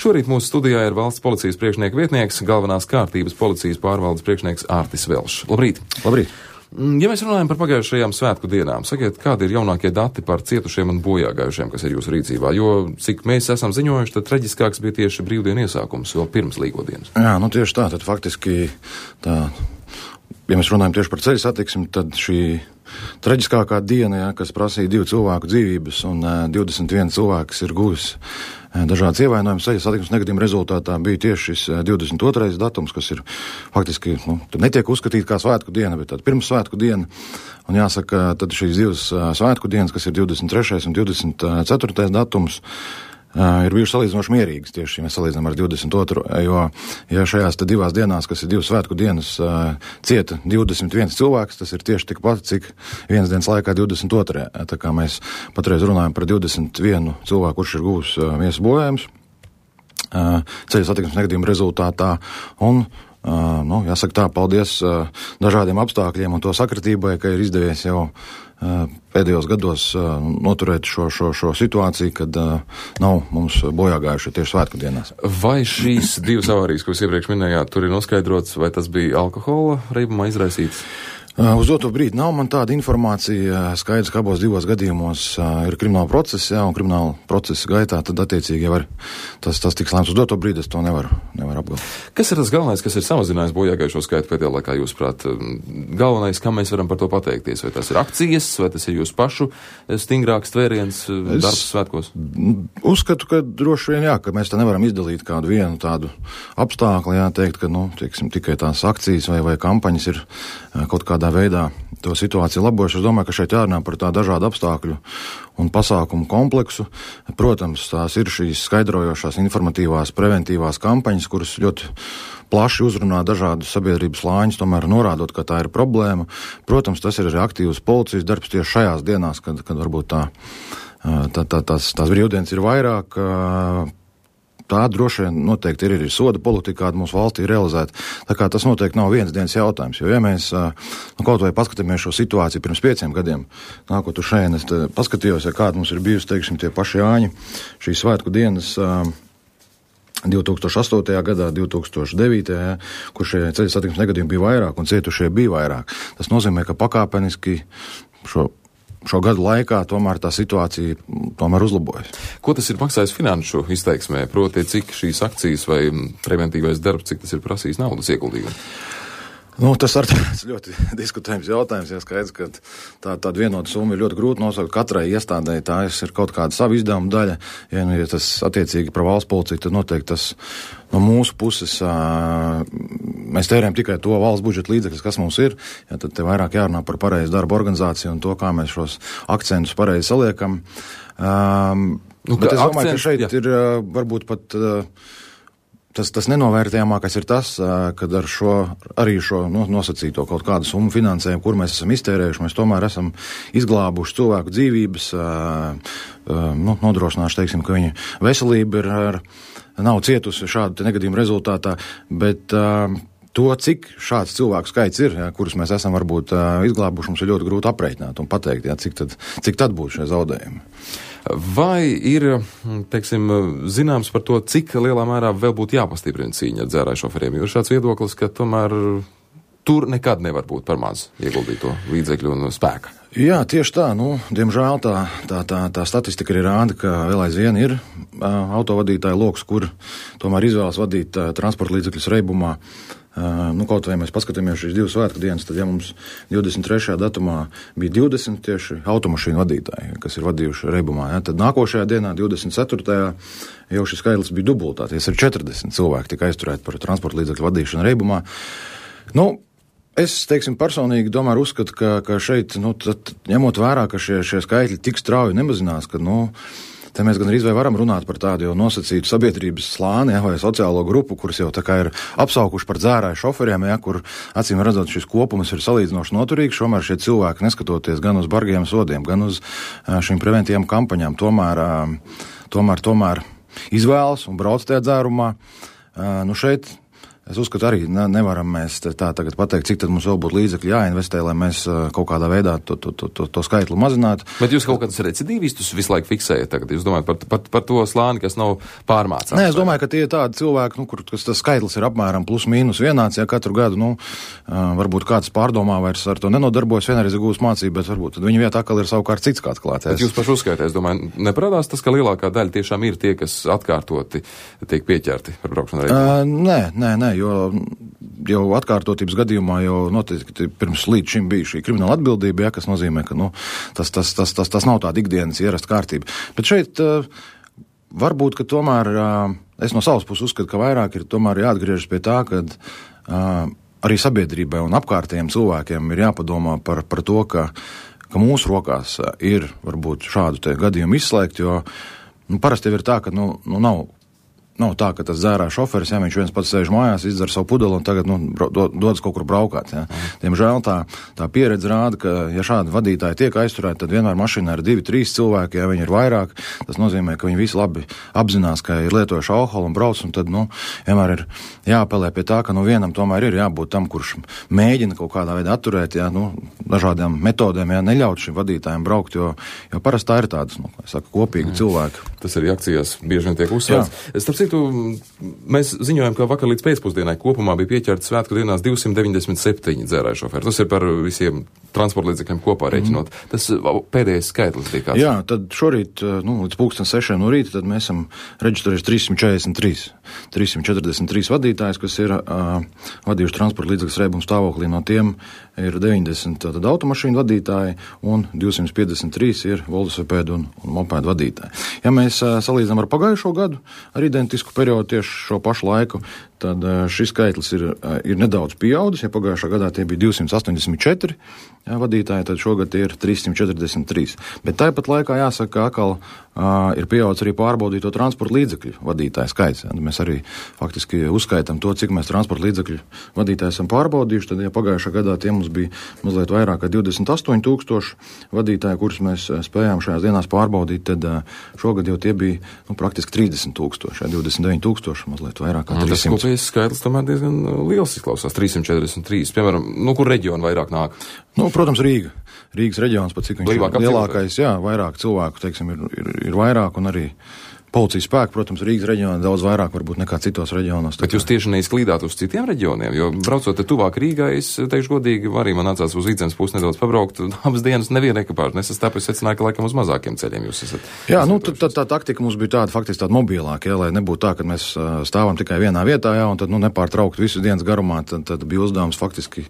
Šorīt mūsu studijā ir valsts policijas priekšnieka vietnieks, galvenās kārtības policijas pārvaldes priekšnieks Ārtis Velšs. Labrīt! Labrīt! Ja mēs runājam par pagājušajām svētku dienām, sakiet, kādi ir jaunākie dati par cietušiem un bojāgājušiem, kas ir jūsu rīcībā? Jo, cik mēs esam ziņojuši, tad traģiskāks bija tieši brīvdienu iesākums, vēl pirms līgodienas. Jā, tieši tā, tad faktiski tā, ja mēs runājam tieši par ceļu satiksmi, tad šī traģiskākā diena, kas prasīja 2 cilvēku dzīvības un 21 cilvēks ir guvis dažādas ievainojumus ceļu satiksmes negadījuma rezultātā, bija tieši šis 22. datums, kas ir faktiski, netiek uzskatīt kā svētku diena, bet tāda pirmsvētku diena. Un jāsaka, tad šīs 2 svētku dienas, kas ir 23. un 24. datums, ir bijuši salīdzinoši mierīgas tieši, ja mēs salīdzinām ar 22. Jo, ja šajās 2 dienās, kas ir 2 svētku dienas, cieta 21 cilvēks, tas ir tieši tikpat, cik vienas dienas laikā 22. Tā kā mēs patreiz runājam par 21 cilvēku, kurš ir guvis miesas bojājums ceļu satiksmes negadījuma rezultātā. Un jāsaka tā, paldies dažādiem apstākļiem un to sakritībai, ka ir izdevies jau pēdējos gados noturēt šo situāciju, kad nav mums bojāgājuši tieši svētku dienās. Vai šīs 2 avārijas, ko jūs iepriekš minējāt, tur ir noskaidrots, vai tas bija alkohola reibumā izraisīts? Uz doto brīdi nav man tāda informācija. Skaidrs, ka abos 2 gadījumos ir krimināla procesa, un krimināla procesa gaitā tad attiecīgi jau tas tiks lēmts. Uz doto brīdi es to nevaru apgalvot. Kas ir tas galvenais, kas ir samazinājis bojāgājušo skaitu pēdējā laikā, jūsuprāt? Galvenais, kam mēs varam par to pateikties? Vai tas ir akcijas, vai tas ir jūsu pašu stingrāks tvēriens darbs svētkos? Uzskatu, ka droši vien jā, ka mēs te nevaram izdalīt kādu vienu tādu apstākli, teikt, ka, tikai tās akcijas vai kampaņas ir kaut kādā veidā to situāciju labojuši. Es domāju, ka šeit jārunā par tā dažādu apstākļu un pasākumu kompleksu. Protams, tās ir šīs skaidrojošās, informatīvās, preventīvās kampaņas, kuras ļoti plaši uzrunā dažādus sabiedrības slāņus, tomēr norādot, ka tā ir problēma. Protams, tas ir arī aktīvs policijas darbs tieši šajās dienās, kad varbūt tās brīvdienas ir vairāk. Tā droši vien noteikti ir arī soda politika, kāda mūsu valstī ir realizēta. Tā kā tas noteikti nav vienas dienas jautājums, jo ja mēs kaut vai paskatāmies šo situāciju pirms 5 gadiem, nākot uz šeit, es paskatījos, kāda mums ir bijusi, teiksim, tie paši Jāņi, šīs svētku dienas 2008. gadā, 2009. Kur šie ceļu satiksmes negadījumi bija vairāk un cietušie bija vairāk. Tas nozīmē, ka pakāpeniski šo gadu laikā tomēr tā situācija uzlabojas. Ko tas ir maksājis finanšu izteiksmē? Proti, cik šīs akcijas vai preventīvais darbs, cik tas ir prasījis naudas ieguldījumu? Tas ir ļoti diskutējums jautājums. Ja skaidrs, ka tāda vienota summa ir ļoti grūti nosaukt katrai iestādēji. Tā ir kaut kāda sava izdevuma daļa. Ja tas attiecīgi par valsts policiju, tad noteikti tas no mūsu puses mēs tērējam tikai to valsts budžeta līdzekļus, kas mums ir. Ja, tad te vairāk jārunā par pareizu darba organizāciju un to, kā mēs šos akcentus pareizi saliekam. Bet es domāju, ka šeit ir varbūt pat Tas nenovērtējamākais ir tas, kad ar šo nosacīto kaut kādu summu finansējumu, kur mēs esam iztērējuši, mēs tomēr esam izglābuši cilvēku dzīvības, nodrošinājuši, teiksim, ka viņa veselība nav cietusi šādu negadījumu rezultātā, bet to, cik šāds cilvēku skaits ir, kurus mēs esam varbūt izglābuši, mums ir ļoti grūti aprēķināt un pateikt, cik tad būtu šie zaudējumi. Vai ir, teiksim, zināms par to, cik lielā mērā vēl būtu jāpastiprina cīņa ar dzērāju šoferiem? Jo ir šāds viedoklis, ka tomēr tur nekad nevar būt par maz ieguldīto līdzekļu un spēka. Jā, tieši tā. Diemžēl tā statistika arī rāda, ka vēl aizvien ir autovadītāju loks, kur tomēr izvēlas vadīt transporta līdzekļus reibumā. Kaut vai mēs paskatāmies šīs 2 svētku dienas, tad ja mums 23. datumā bija 20 tieši automašīnu vadītāji, kas ir vadījuši reibumā, tad nākošajā dienā, 24. jau šis skaitlis bija dubultāties, ir 40 cilvēki tika aizturēti par transporta līdzekļu vadīšanu reibumā. Es, teiksim, personīgi tomēr uzskatu, ka šeit, ņemot vērā, ka šie skaitļi tik strauji nemazinās, ka, te mēs gan arī varam runāt par tādu jau nosacītu sabiedrības slāni, vai sociālo grupu, kuras jau tā kā ir apsaukuši par dzērāju šoferiem, kur acīm redzot šis kopums ir salīdzinoši noturīgs, tomēr šie cilvēki, neskatoties gan uz bargiem sodiem, gan uz šīm preventīvām kampaņām, tomēr izvēlas un brauc tajā dzērumā. Šeit Es uzskatu arī, nevaram mēs tā tagad pateikt, cik tad mums vēl būtu līdzekļi jāinvestē, lai mēs kaut kādā veidā to skaitlu mazinātu. Bet jūs kaut kādus recidīvistus visu laiku fiksējat tagad? Jūs domājat par to slāni, kas nav pārmācāms? Nē, es domāju, ka tie ir tādi cilvēki, kas tas skaitlis ir apmēram plus mīnus vienāds, ja katru gadu, varbūt kāds pārdomā vairs ar to nenodarbojas, vienreiz ir gūs mācību, bet varbūt tad viņa vietā atkal ir savukārt cits kāds klāts. Bet jūs paši uzskaitāt, es domāju, neparādās tas, ka lielākā daļa tiešām ir tie, kas atkārtoti tiek pieķerti par braukšanu reģionā? Nē, jo atkārtotības gadījumā jau noteikti pirms līdz šim bija šī krimināla atbildība, kas nozīmē, ka tas nav tāda ikdienas ierasta kārtība. Bet šeit varbūt, ka tomēr es no savas puses uzskatu, ka vairāk ir tomēr jāatgriežas pie tā, ka arī sabiedrībai un apkārtējiem cilvēkiem ir jāpadomā par to, ka mūsu rokās ir varbūt šādu te gadījumu izslēgt, jo parasti jau ir tā, ka nav tā, ka tas dzērā šoferis, ja viņš viens pats sēž mājās, izdzer savu pudeli un tagad dodas kaut kur braukāt. Ja. Diemžēl tā pieredze rāda, ka ja šādi vadītāji tiek aizturēti, tad vienmēr mašīnā ir 2-3 cilvēki, ja viņi ir vairāk, tas nozīmē, ka viņi visi labi apzinās, ka ir lietojuši alkoholu un brauc, un tad, vienmēr ir jāapelē pie tā, ka vienam tomēr ir jābūt tam, kurš mēģina kaut kādā veidā atturēt, ja, dažādām metodēm, ja, neļaut šim vadītājiem braukt, jo parasti tā ir tādas, kopīgi cilvēki. Tas arī akcijās bieži vien tiek uzsvērts. Mēs ziņojam, ka vakar līdz pēcpusdienai kopumā bija pieķerti svētku dienās 297 dzērāju šoferi. Tas ir par visiem transporta līdzekļiem kopā rēķinot. Tas pēdējais skaitlis bija kāds? Jā, tad šorīt, līdz 6:00 no rīta, tad mēs esam reģistrējuši 343 vadītājus, kas ir vadījuši transporta līdzekļus reibuma stāvoklī. No tiem ir 90 automašīnu vadītāji un 253 ir velosipēdu un mopēdu vadītāji. Ja mēs salīdzinām ar pagājušo gadu, ar identisku periodu tieši šo pašu laiku, tad šis skaitlis ir nedaudz pieaudzis. Ja pagājušā gadā tie bija 284 vadītāji, tad šogad tie ir 343. Bet tāpat laikā jāsaka, ka atkal ir pieaudzis arī pārbaudīto transporta līdzekļu vadītāju skaits. Mēs arī faktiski uzskaitām to, cik mēs transporta līdzekļu vadītāju esam pārbaudījuši. Tad, ja pagājušā gadā tie mums bija mazliet vairāk kā 28,000 vadītāji, kurus mēs spējām šajās dienās pārbaudīt, tad šogad jau tie bija praktiski 30,000, 29,000, mazliet vairāk kā 300. Tas kopējais skaitlis tomēr diezgan liels izklausās, 343. Piemēram, kur reģionu vairāk nāk? Protams, Rīga. Rīgas reģions, pat cik viņš ir lielākais, vairāk cilvēku, teiksim, ir vairāk, un arī policijas spēku, protams, Rīgas reģionā daudz vairāk varbūt nekā citos reģionos. Bet jūs tieši neizklīdāt uz citiem reģioniem, jo braucot tuvāk Rīgai, es teikšu godīgi, arī man nācās uz Vidzemes pusi nedaudz pabraukt, abas dienas neviena ekipāža nesastāp, es secināju, ka laikam uz mazākiem ceļiem jūs esat. Jā, tā taktika mums bija tāda, faktiski tāda mobilāka, lai nebūtu tā, ka mēs stāvam tikai vienā vietā, un tad nepārtraukt visu dienas garumā, tad bija uzdevums faktiski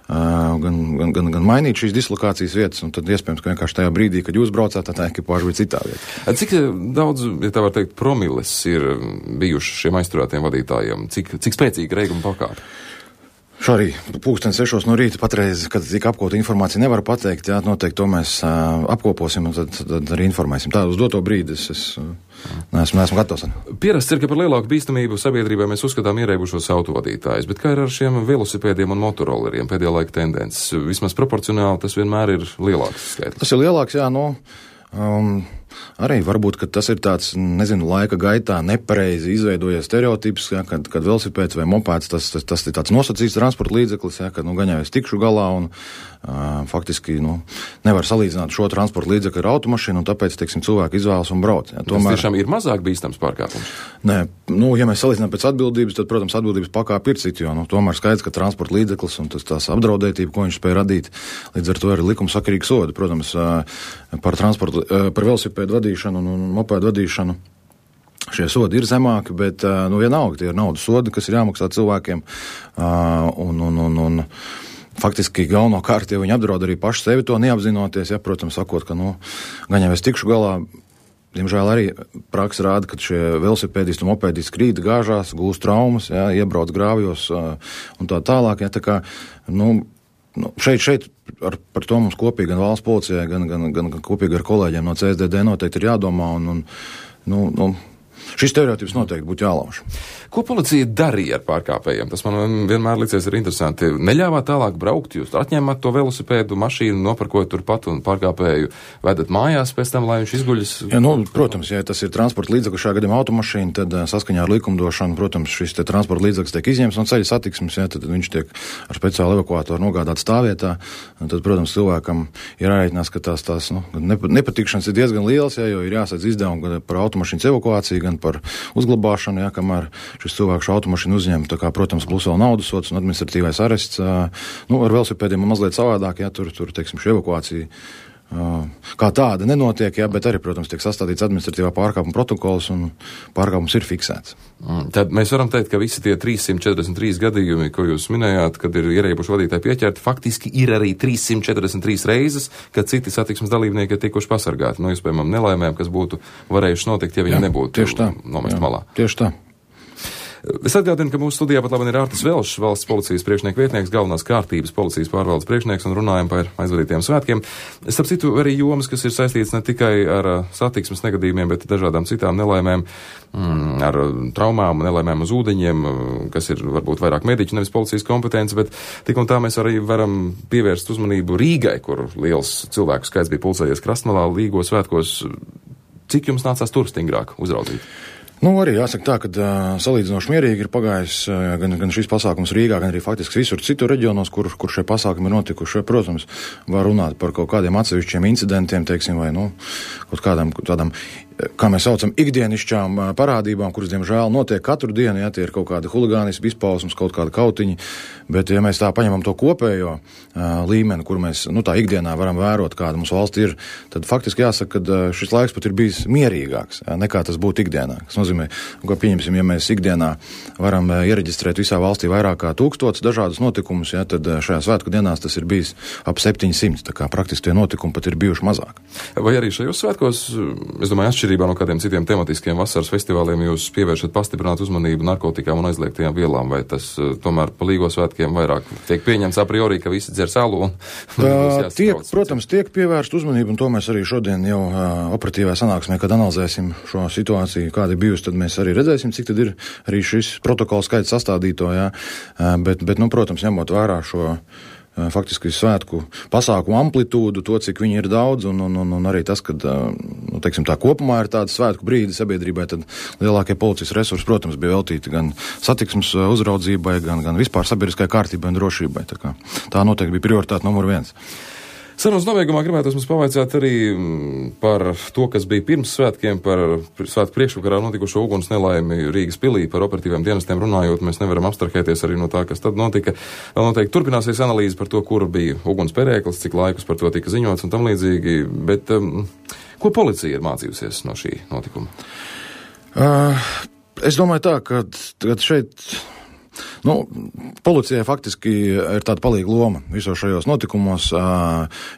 gan mainīt šīs dislokācijas vietas, un tad iespējams, ka vienkārši tajā brīdī, kad jūs braucāt, tā ekipāža bija citā vietā. Cik daudz, ja tā var teikt, promiles ir bijuši šiem aizturētiem vadītājiem? Cik spēcīga reiguma pakāpe? Šorī 6:00 no rīta patreiz, kad tika apkopota informācija, nevar pateikt, noteikti to mēs apkoposim un tad arī informēsim. Tā uz doto brīdi es neesmu gatavs. Pierasts ir, ka par lielāku bīstamību sabiedrībai mēs uzskatām ierēbušos autovadītājus, bet kā ir ar šiem velosipēdiem un motorolleriem pēdējā laika tendences? Vismaz proporcionāli tas vienmēr ir lielāks skaitlis. Tas ir lielāks, arī varbūt, ka tas ir tāds, laika gaitā nepareizi izveidojies stereotips, kad velosipēds vai mopēds, tas ir tāds nosacīts transporta līdzeklis, kad gan jau es tikšu galā un faktiski nevar salīdzināt šo transporta līdzekli ar automašīnu, un tāpēc, cilvēki izvēlas un brauc. Tas tiešām ir mazāk bīstams pārkāpums? Nē, ja mēs salīdzinām pēc atbildības, tad, protams, atbildības pakāpe ir cita, jo tomēr skaidrs, ka transporta līdzeklis un tās apdraudētība, ko viņš spēja radīt, līdz ar to ir likumsakarīgi sodi. Protams, par velosipēdu vadīšanu un mopēdu vadīšanu šie sodi ir zemāki, bet vienalga tie ir naudas sodi, kas ir jāmaksā cilvēkiem, un faktiski galvenokārt, ja viņi apdraud arī paši sevi to neapzinoties, protams, sakot, ka gan jau es tikšu galā, diemžēl arī praksa rāda, ka šie velosipēdisti un mopēdisti krīt, gāžās, gūst traumas, iebrauc grāvjos un tā tālāk, tā kā, šeit par to mums kopīgi gan valsts policijai, gan kopīgi ar kolēģiem no CSDD noteikti ir jādomā, un šis stereotips noteikti būtu jālauž. Ko policija darīja ar pārkāpējiem? Tas man vienmēr licies ir interesanti. Neļāvāt tālāk braukt, jūs atņēmāt to velosipēdu, mašīnu, noparkojat turpat un pārkāpēju vedat mājās pēc tam, lai viņš izguļas? Ja, protams, ja tas ir transporta līdzeklis, šajā gadījumā automašīna, tad saskaņā ar likumdošanu, protams, šis transporta līdzeklis tiek izņemts no ceļa satiksmes, ja, tad viņš tiek ar speciālu evakuātoru nogādāts stāvvietā. Tad, protams, cilvēkam ir jārēķinās, ka tās nepatikšanas ir diezgan liels, ja, jo ir jāsadz izdevumi gan par automašīnas evakuāciju, gan par uzglabāšanu, ja, kamēr šis cilvēks šo automašīnu uzņem, tā kā, protams, plus vēl naudas sods un administratīvais arests. Ar velosipēdiem mazliet savādāk, ja, tur, teiksim, šī evakuācija kā tāda nenotiek, ja, bet arī, protams, tiek sastādīts administratīvā pārkāpuma protokols un pārkāpums ir fiksēts. Tad mēs varam teikt, ka visi tie 343 gadījumi, ko jūs minējāt, kad ir ierēbuši vadītāji pieķerti, faktiski ir arī 343 reizes, kad citi satiksmes dalībnieki ir tikuši pasargāti no iespējamām nelaimēm, kas būtu varējuši notikt, ja viņi nebūtu nomest malā. Tieši tā. Es atgādinu, ka mūsu studijā pat labi ir Ārtis Velšs, valsts policijas priekšnieka vietnieks, galvenās kārtības policijas pārvaldes priekšnieks, un runājam par aizvadītiem svētkiem. Starp citu, arī jomas, kas ir saistīts ne tikai ar satiksmes negadījumiem, bet dažādām citām nelaimēm, ar traumām, nelaimēm uz ūdeņiem, kas ir varbūt vairāk mediķu, nevis policijas kompetence, bet tik un tā mēs arī varam pievērst uzmanību Rīgai, kur liels cilvēku skaits bija pulcējies Krastmalā Līgo svētkos. Cik jums nācās tur stingrāk uzraudzīt? Arī jāsaka tā, ka salīdzinoši mierīgi ir pagājis gan šis pasākums Rīgā, gan arī faktiski visur citur reģionos, kur šie pasākumi ir notikuši. Protams, var runāt par kaut kādiem atsevišķiem incidentiem, teiksim, vai kaut kādām tādām, kā mēs saucam, ikdienišķām parādībām, kuras, diemžēl, notiek katru dienu, ja tie ir kaut kādi huligānismi, izpausmes, kaut kādi kautiņi, bet ja mēs tā paņemam to kopējo līmeni, kur mēs, tā ikdienā varam vērot, kāda mums valsts ir, tad faktiski jāsaka, ka šis laiks pat ir bijis mierīgāks, nekā tas būtu ikdienā. Tas nozīmē, ka pieņemsim, ja mēs ikdienā varam iereģistrēt visā valstī vairāk kā 1000 dažādus notikumus, ja, tad šajā svētku dienās tas ir bijis ap 700, tā kā praktiski tie notikumi pat ir bijuši mazāk. Vai arī šajos svētkos, es domāju, atšķirībā no kādiem citiem tematiskiem vasaras festivāliem, jūs pievēršat pastiprināt uzmanību narkotikām un aizliegtajām vielām, vai tas tomēr pa Līgo svētkiem vairāk tiek pieņemts a priori, ka visi dzer salu un protams, tiek pievērst uzmanību, un to mēs arī šodien jau operatīvā sanāksmē, kad analizēsim šo situāciju, kāda ir bijusi, tad mēs arī redzēsim, cik tad ir arī šis protokols skaits sastādīto, jā. Bet, protams, ņemot vērā šo faktiski svētku pasākumu amplitūdu, to, cik viņi ir daudz, un arī tas, ka, teiksim, tā kopumā ir tāda svētku brīdi sabiedrībai, tad lielākie policijas resursi, protams, bija veltīti gan satiksmes uzraudzībai, gan vispār sabiedriskai kārtībai un drošībai. Tā noteikti bija prioritāte numur 1. Sarunas nobeigumā gribētos mums pavaicāt arī par to, kas bija pirms svētkiem, par svētku priekšvakarā notikušo uguns nelaimi Rīgas pilī, par operatīviem dienestiem runājot, mēs nevaram abstrahēties arī no tā, kas tad notika. Vēl noteikti turpināsies analīze par to, kur bija uguns perēklis, cik laikus par to tika ziņots un tam līdzīgi, bet ko policija ir mācījusies no šī notikuma? Es domāju tā, ka šeit policijai faktiski ir tāda palīga loma visos šajos notikumos,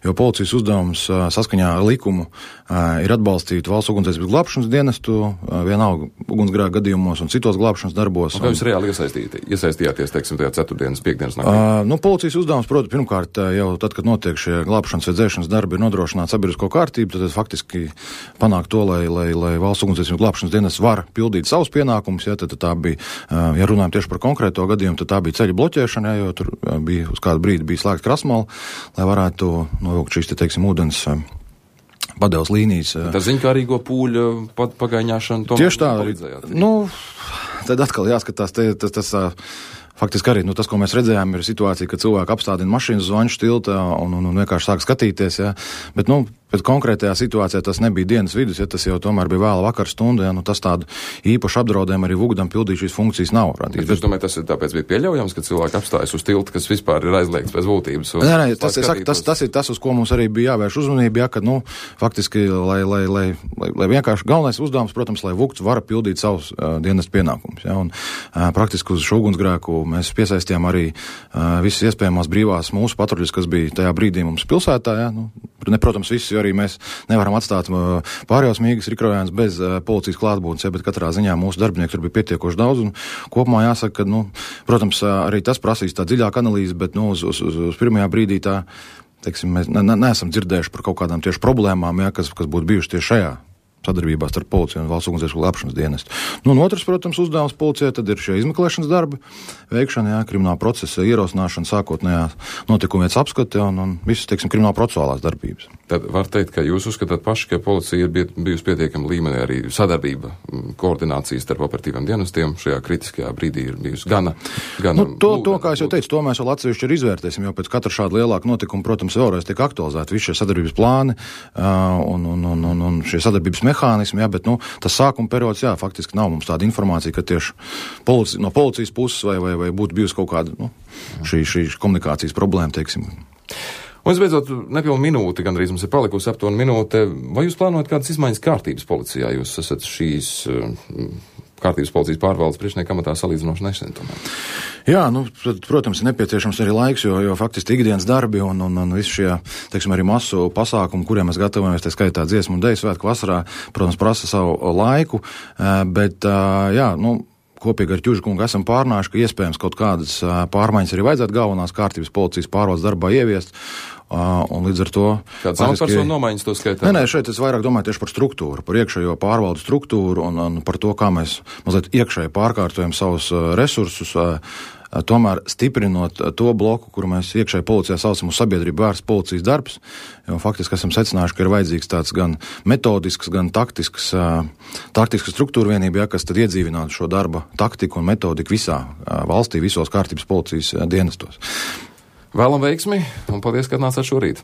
jo policijas uzdevums saskaņā ar likumu ir atbalstīt valsts ugunsdzēsības glābšanas dienestu, vienalga ugunsgrēku gadījumos un citos glābšanas darbos. Kā jūs reāli iesaistījāties, teiksim, tajā ceturtdienas, piekdienas naktī? Policijas uzdevums, protams, pirmkārt, jau tad, kad notiek šie glābšanas vai dzēšanas darbi, ir nodrošināt sabiedrisko kārtību, tad faktiski panākt to, lai valsts ugunsdzēsības glābšanas dienests var pildīt savus pienākumus, ja, tad tā bija, ja runājam tieši par konkrēto gadījumu, tad tā bija ceļa bloķēšana, jo tur bija uz kādu brīdi bija slēgta Krastmala, lai varētu novilkt šīs, teiksim, ūdens padevas līnijas. Tā ziņkārīgo pūļu pagaiņāšanu tomēr tieši tā palīdzējāt? Tad atkal jāskatās, tas faktiski arī, tas, ko mēs redzējām, ir situācija, ka cilvēki apstādina mašīnas uz Vaņšu tilta un vienkārši sāk skatīties, ja, bet, bet konkrētajā situācijā tas nebija dienas vidus, ja tas jau tomēr bija vēla vakar stunda, ja, tas tādu īpašu apdraudējumu arī Vugdam pildīt šīs funkcijas nav radījis. Es domāju, tas ir tāpēc bija pieļaujams, ka cilvēki apstājas uz tilta, kas vispār ir aizliegts pēc būtības. Tas ir tas, uz ko mums arī bija jāvērš uzmanība, ja, kad, faktiski, lai vienkārši galvenais uzdevums, protams, lai Vugds var pildīt savus dienas pienākumus, ja, un praktiski uz šo ugunsgrēku mēs piesaistījām arī visas iespējamās brīvās mūsu patruļas, kas bija tajā brīdī mums pilsētā, ja, protams, visi, jo arī mēs nevaram atstāt pārējos mīgas rikrojāns bez policijas klātbūtnes, ja, bet katrā ziņā mūsu darbinieki tur bija pietiekoši daudz, un kopumā jāsaka, ka, protams, arī tas prasīs tā dziļāka analīze, bet, uz pirmajā brīdī tā, teiksim, mēs neesam dzirdējuši par kaut kādām tieši problēmām, ja, kas būtu bijuši tieši šajā sadarbībā starp policiju un valsts ugunsdzēsības glābšanas dienestu. Nu, un otrs, protams, uzdevums policijai tad ir šie izmeklēšanas darbi veikšana, krimināla procesa ierosināšana, sākotnējā notikumvietas apskate un visas, teiksim, krimināla procesuālās darbības. Tad var teikt, ka jūs uzskatāt paši, ka policija ir bijusi pietiekama līmenī, arī sadarbība, koordinācija starp operatīviem dienestiem šajā kritiskajā brīdī ir bijusi gana to, kā es jau teicu, to mēs vēl atsevišķi ir izvērtēsim, jo pēc katra šāda lielāka notikuma, protams, vēlreiz tiek aktualizēti visi šie sadarbības plāni un šie sadarbības mehānismi, bet, tas sākuma periods, faktiski nav mums tāda informācija, ka tieši no policijas puses vai būtu bijusi kaut kāda, šī komunikācijas problēma, teiksim. Un visbeidzot, nepilnu minūti, gandrīz mums ir palikusi aptuveni minūte. Vai jūs plānojat kādas izmaiņas kārtības policijā? Jūs esat šīs kārtības policijas pārvaldes priekšnieka amatā salīdzinoši nesen tomēr. Jā, protams, ir nepieciešams arī laiks, jo faktiski ikdienas darbi un visi šie, teiksim, arī masu pasākumi, kuriem mēs gatavojamies, tā skaitā dziesmu un deju svētku vasarā, protams, prasa savu laiku, bet, kopīgi ar Ķužkungu esam pārnājuši, ka iespējams kaut kādas pārmaiņas arī vajadzētu galvenās kārtības policijas pārvaldes darbā ieviest. Un līdz ar to... Kāds amatpersonu nomaiņas to skaitā? Nē, šeit es vairāk domāju tieši par struktūru, par iekšējo pārvaldu struktūru un par to, kā mēs mazliet iekšēji pārkārtojam savus resursus, tomēr stiprinot to bloku, kuru mēs iekšēji policijā saucam uz sabiedrību vērsts policijas darbs, jo faktiski esam secinājuši, ka ir vajadzīgs tāds gan metodisks, gan taktisks struktūra vienība, kas tad iedzīvinātu šo darba taktiku un metodiku visā valstī, visos kārtības policijas dienestos. Vēlam veiksmi un paldies, ka atnācāt šorīt.